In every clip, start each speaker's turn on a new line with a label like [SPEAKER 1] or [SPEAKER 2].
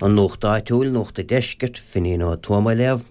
[SPEAKER 1] An Nuacht Áitiúil, Nuacht an Deiscirt, Finian Ó Tuama á léamh.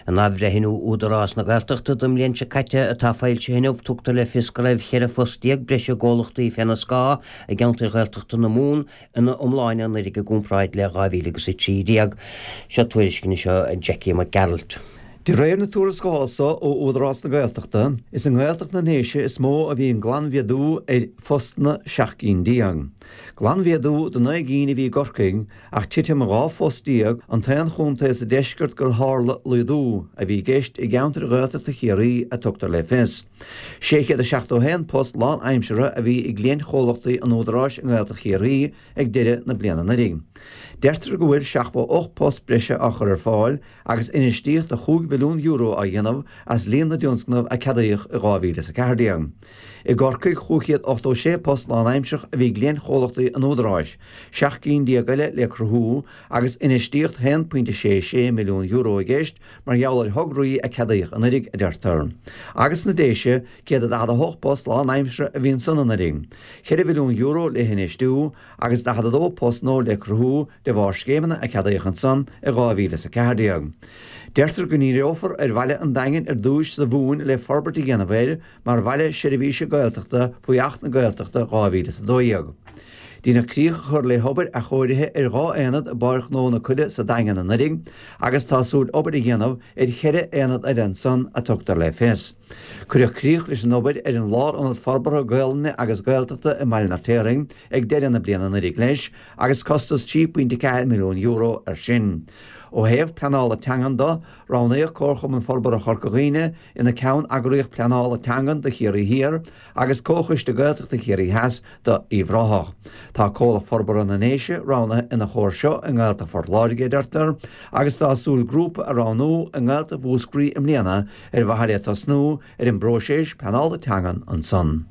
[SPEAKER 1] In athbhreithniú Údarás na Gaeltachta don mbliain seo caite atá foilsithe inniu, tugtar le fios go raibh 14 phost breise i gcomhlachtaí féna scáth i gceantair Ghaeltachta na Mumhan ina iomláine anuraidh i gcomparáid le 2013. Seo tuairisc anois ó Jackie Mac Gearailt.
[SPEAKER 2] De réir na tuarascála so ó Údarás na Gaeltachta, is i nGaeltacht na nDéise is mó a bhí an glanmhéadú ar phostanna, 17 cinn. Glanmhéadú de 9 gcinn a bhí i gCorcaigh ach titim 12 phost an t-aon chontae sa deisceart gur tharla laghdú a bhí i gceist i gceantair Ghaeltachta Chiarraí a tugtar le fios. 671 post lánaimseartha a bhí i gcliaintchomhlachtaí an Údaráis i nGaeltacht Chiarraí ag deireadh na bliana anuraidh. Deirtear go bhfuil 78 post breise á chur ar fáil agus infheistíocht de €5 mhilliún á dhéanamh as líon na dtionscnamh a ceadaíodh i 2014. I gCorcaigh, 586 post lánaimseartha a bhí i gcliaintchomhlachtaí an Údaráis, 17 gcinn eile le cruthú, agus infheistíocht €1.66 milliún i gceist mar gheall ar thograí a ceadaíodh anuraidh, a deirtear. Agus sna Déise, 148 post lánaimseartha a bhí ansan anuraidh, €4 mhilliún le hinfheistiú, agus 42 post nua le cruthú de bharr scéimeanna a ceadaíodh ansan i 2014. Deirtear go ndíreofar ar bhaile an Daingin ar dtúis sa Mhumhain le forbairt a dhéanamh air mar bhaile seirbhíse Gaeltachta faoi Acht na Gaeltachta 2012. Deineadh críoch a chur le hobair athchóirithe ar 2 aonad i bPáirc Ghnó na Coille sa Daingean anuraidh agus tá súil obair a dhéanamh ar cheithre aonad eile ansan a tugtar le fios. Cuireadh críoch leis an obair ar an Lárionad Forbartha Gaolainne agus Gaeltachta i mBaile an Fheirtéaraigh ag deireadh na bliana anuraidh leis agus costas €3.4 milliún air sin. Ó thaobh pleanála teangan do, roghnaíodh Comharchumann Forbartha Chorca Dhuibhne ina ceann-eagraíocht pleanála teangan do Chiarraí Thiar agus Comhchoiste Gaeltachta Chiarraí Theas do Uíbh Ráthach. Tá Comhlacht Forbartha na nDéise roghnaithe ina chomhar seo i nGaeltacht Phort Láirge, a deirtear, agus tá súil grúpa a roghnú i nGaeltacht Mhúscraí i mbliana ar mhaithe le tosnú ar an bpróiseas pleanála teangan ansan.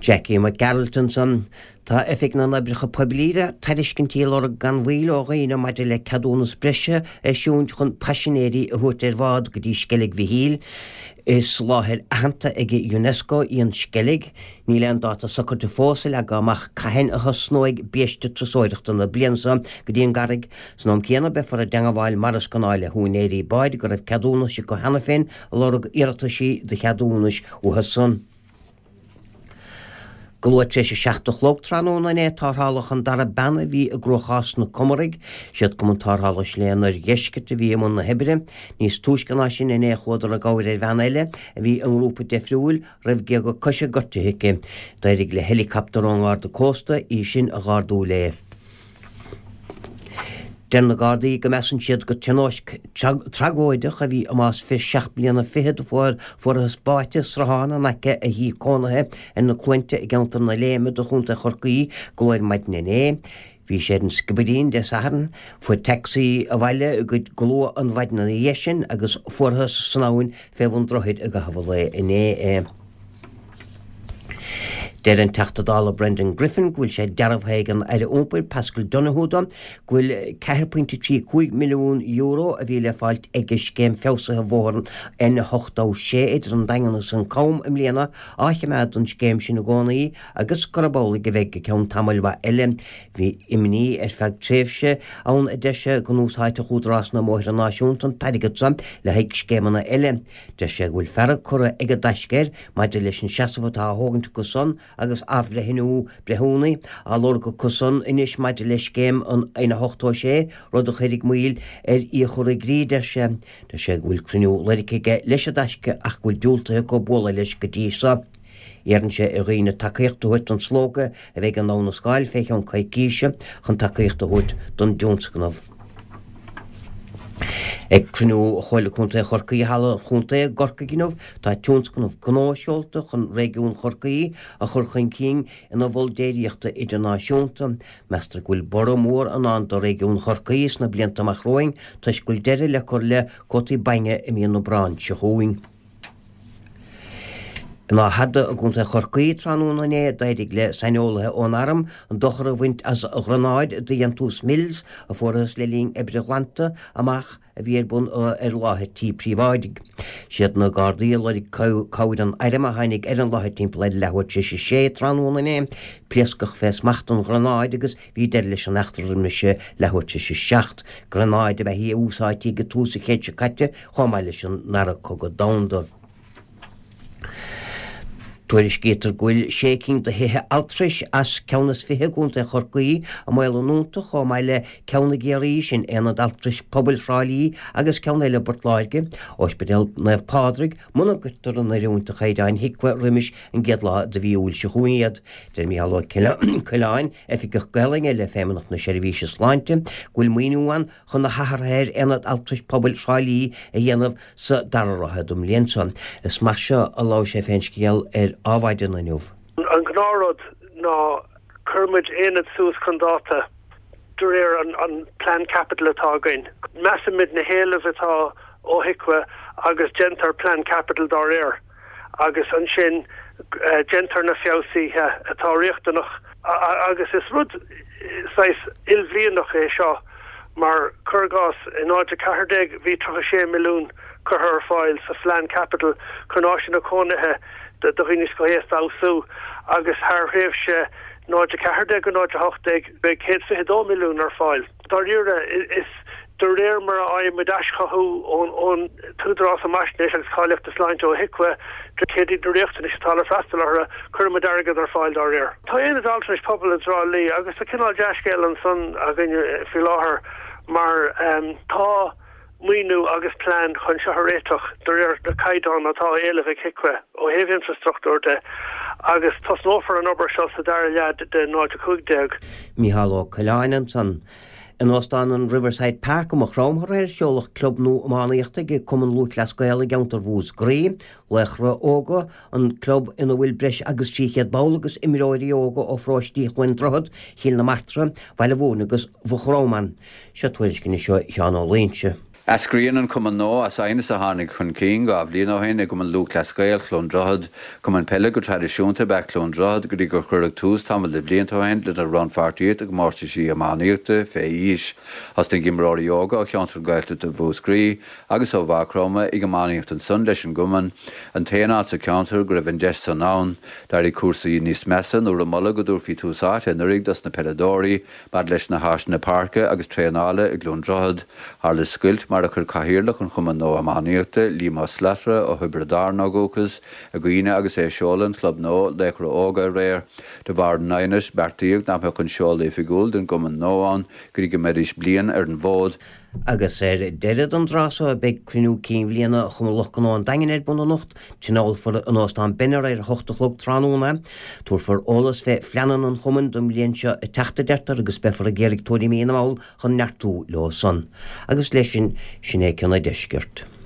[SPEAKER 1] Jackie Mac Gearailt ansan. Tá Oifig na nOibreacha Poiblí le tairiscintí a lorg gan mhoill ó dhaoine maidir le ceadúnas breise a eisiúint chun paisinéirí a thabhairt ar bhád go dtí Sceilg Mhichíl. Is láthair aitheanta ag Unesco í an Sceilg. Níl aon dáta socraithe fós a leagtha amach cathain a thosnóidh biaiste turasóireachta na bliana seo go dtí an gCarraig. San am céanna beifear i dteangabháil mar is gnáth le húinéirí báid go raibh ceadúnais acu cheana féin ag lorg iarrataisí do cheadúnais uathu san. Go luath tar éis a 7 a chlog tráthnóna inné tarrtháladh an dara bean a bhí i gcruachás sna Comaraigh. Siad Cumann Tarrthála Shléibhe an Oirdheiscirt a bhí i mbun na hoibre. Níos túisce ná sin inné chuadar i gcabhair ar bhean eile a bhí i ngrúpa deifriúil raibh géaga coise gortaithe aici. D'éirigh le heileacaptar ón nGarda Cósta í sin a dh'ardú léi. Deir na Gardaí go measann siad gur tionóisc tragóideach a bhí i mbás fir seacht mbliana fichead a fuarthas báite i sruthán in aice a thí cónaithe ar na Cluainte i gceantar na Léime de Chontae Chorcaí go luath ar maidin inné. Bhí sé ar an Sciobairín Dé Sathairn, fuair tacsaí abhaile go luath an mhaidin ina dhiaidh sin agus fuarthas san abhainn fé bhun droichid i gcaitheamh an lae inné é. Deir an Teachta Dála Brendan Griffin go bhfuil sé dearbhaithe ag an Aire Iompair Paschal Donohoe dó go bhfuil €4.35 milliún a bhí le fáilt ag scéim feabhsaithe bhóthar an N86 idir an Daingean agus an Cam i mbliana á choimeád don scéim sin i gcónaí agus gurb amhlaidh a bheidh go ceann tamaill mhaith eile. Bhí imní ar feadh tréimhse ann a deir sé go n-úsáidfeadh Údarás na mBóithre Náisiúnta an t-airgead seo le haghaidh scéimeanna eile. Deir sé go bhfuil fearg curtha ag an dTaisce air maidir leis an seasamh atá á thógaint acu san agus athbhreithniú breithiúnaí á lorg acu san anois maidir le scéim an N86, rud a chuirfidh moill ar í a chur i gcrích, deir sé. Deir sé go bhfuil cruinniú lorgtha aige leis an dTaisce ach go bhfuil diúltaithe acu bualadh leis go dtí seo. Iarrann sé ar dhaoine tacaíocht a thabhairt don slógadh a bheidh i nDamhna Scáil fé cheann coicíse chun tacaíocht a thabhairt don dtionscnamh. Ag cruinniú Chomhairle Contae Chorcaí i Halla an Chontae i gCorcaigh inniu, tá tionscnamh gnó seolta chun réigiún Chorcaí a chur chun cinn ina mhol déiríochta idirnáisiúnta. Meastar go bhfuil borradh mór i ndán do réigiún Chorcaí sna blianta amach romhainn toisc go bhfuil deireadh le cur le cuótaí bainne i mí an Aibreáin seo chugainn. In Áth Fhada i gContae Chorcaí tráthnóna inné d'éirigh le saineolaithe ón Arm an dochar a bhaint as ghranáid de dhéantús Mills a fuarthas le linn oibre glanta amach a bhí ar bun ar láthair tí príobháidigh. Siad na Gardaí a lorg cabhair an Airm a tháinig ar an láthair timpeall ar leathuair tar éis a sé tráthnóna inné. Pléascadh fé smacht an ghranáid agus bhí deireadh leis an eachtra roimis leathuair tar éis a seacht. Granáid ab ea í a úsáidtí ag tús an chéid seo caite chomh maith leis an nDara Cogadh Domhanda. Tuairiscítear go bhfuil sé cinn de thithe altrais as ceann is 20 i gContae Chorcaí i mbaol a ndúnta, chomh maith le ceann i gCiarraí, sin Aonad Altrais Pobail Thrá Lí agus ceann eile i bPort Láirge, Ospidéal Naomh Pádraig, muna gcuirtear in oiriúint do chaighdeáin HIQA roimis an gcéad lá de mhí Iúil seo chugainn iad. Deir Micheál Ó Coileáin, Oifigeach Gaelainne le Feidhmeannacht na Seirbhíse Sláinte, go bhfuil maoiniú ann chun na hathruithe ar Aonad Altrais Pobail Thrá Lí a dhéanamh sa dara ráithe den mbliain seo. Is mar seo a labhair sé fén scéal ar Adhmhaidin inniu.
[SPEAKER 3] An gnáthrud ná cuirimid aonad suas chun dáta de réir an plean caipitil atá againn. Measaimid na héilimh atá ó HIQA agus déantar plean caipitil dá réir agus ansin déantar na feabhsuithe atá riachtanach agus is rud saghas ilbhlianach é seo. Mar, cuir i gcás, i 0 14 bhí 36 milliún curtha ar fáil sa phlean caipitil chun áiseanna cónaithe do dhaoine scothaosta a fheabhsú agus thar thréimhse 0 14 go 0 18 beidh 122 milliún ar fáil. Dáiríre, is de réir mar a fhaigheann muid aischothú ón tÚdarás um Fhaisnéis agus Cáilíochta Sláinte, ó HIQA, céard iad na riachtanais atá le freastal orthu, cuireann muid airgead ar fáil dá réir. Tá Aonad Altranais Pobail i dTrá Lí agus tá cineál dea-scéal ansan againn faoi láthair mar tá maoiniú agus plean chun seo a réiteach de réir na caighdeán atá á éileamh ag HIQA ó thaobh infreastruchtúir de agus tosnófar an obair seo sa dara leath de 0 15.
[SPEAKER 1] Micheál Ó Coileáin ansan. In Óstán an Riverside Park i Maigh Chromtha aréir seoladh club nua iománaíochta ag Cumann Lúthchleas Gael i gceantar Mhúscraí, Laochra Óga, an club ina bhfuil breis agus 300 ball agus imreoirí óga ó pharóistí Chluain Droichead, Chill na Martra, Bhaile Mhúirne agus Mhaigh Chromtha ann. Seo tuairisc anois ó Sheán Ó Loingsigh.
[SPEAKER 4] Eascraíonn an cumann nua as aighneas a tháinig chun cinn 2 bhliain ó shin i gCumann Lúthchleas Gael, Chluain Droichead. Cumann peile go traidisiúnta ab ea Cluain Droichead go dtí gur cuireadh tús tamall de bhlianta ó shin lena rannpháirtíocht i gcomórtaisí iománaíochta fé aois. Thosnaigh imreoirí óga ó cheantar Gaeltachta Mhúscraí agus ó Mhaigh Chromtha ag iománaíocht ansan leis an gcumann, an t-aon áit sa cheantar go raibh an deis san ann. D'éirigh cúrsaí níos measa nuair a moladh go dtabharfaí tús áite anuraidh dos na peileadóirí Maidir leis na háiseanna páirce agus traenála i gCluain Droichead, tharla scoilt mar a chuir Cathaoirleach an Chumainn nua Iománaíochta, Liam Ó Slatara ó Thiobraid Árann ó dhúchas, i gcuimhne agus é ag seoladh an chlub nua, Laochra Óga, aréir. De bharr an aighnis, beartaíodh nach mbeadh an seoladh oifigiúil den gcumann nua ann go dtí go mbeidís bliain ar an bhfód.
[SPEAKER 1] Agus ar deireadh don dtráth so beidh cruinniú cinn bhliana Chumann Lucht Gnó an Daingin ar bun anocht. Tionólfar in Óstán Benner ar a hocht a chlog tráthnóna. Tabharfar eolas fé phleananna an Chumainn don mbliain seo ag teacht a deirtear agus beifear ag iarraidh tuairimí na mball chun neartú leo san. Agus leis sin, sin é Cionn an Deiscirt.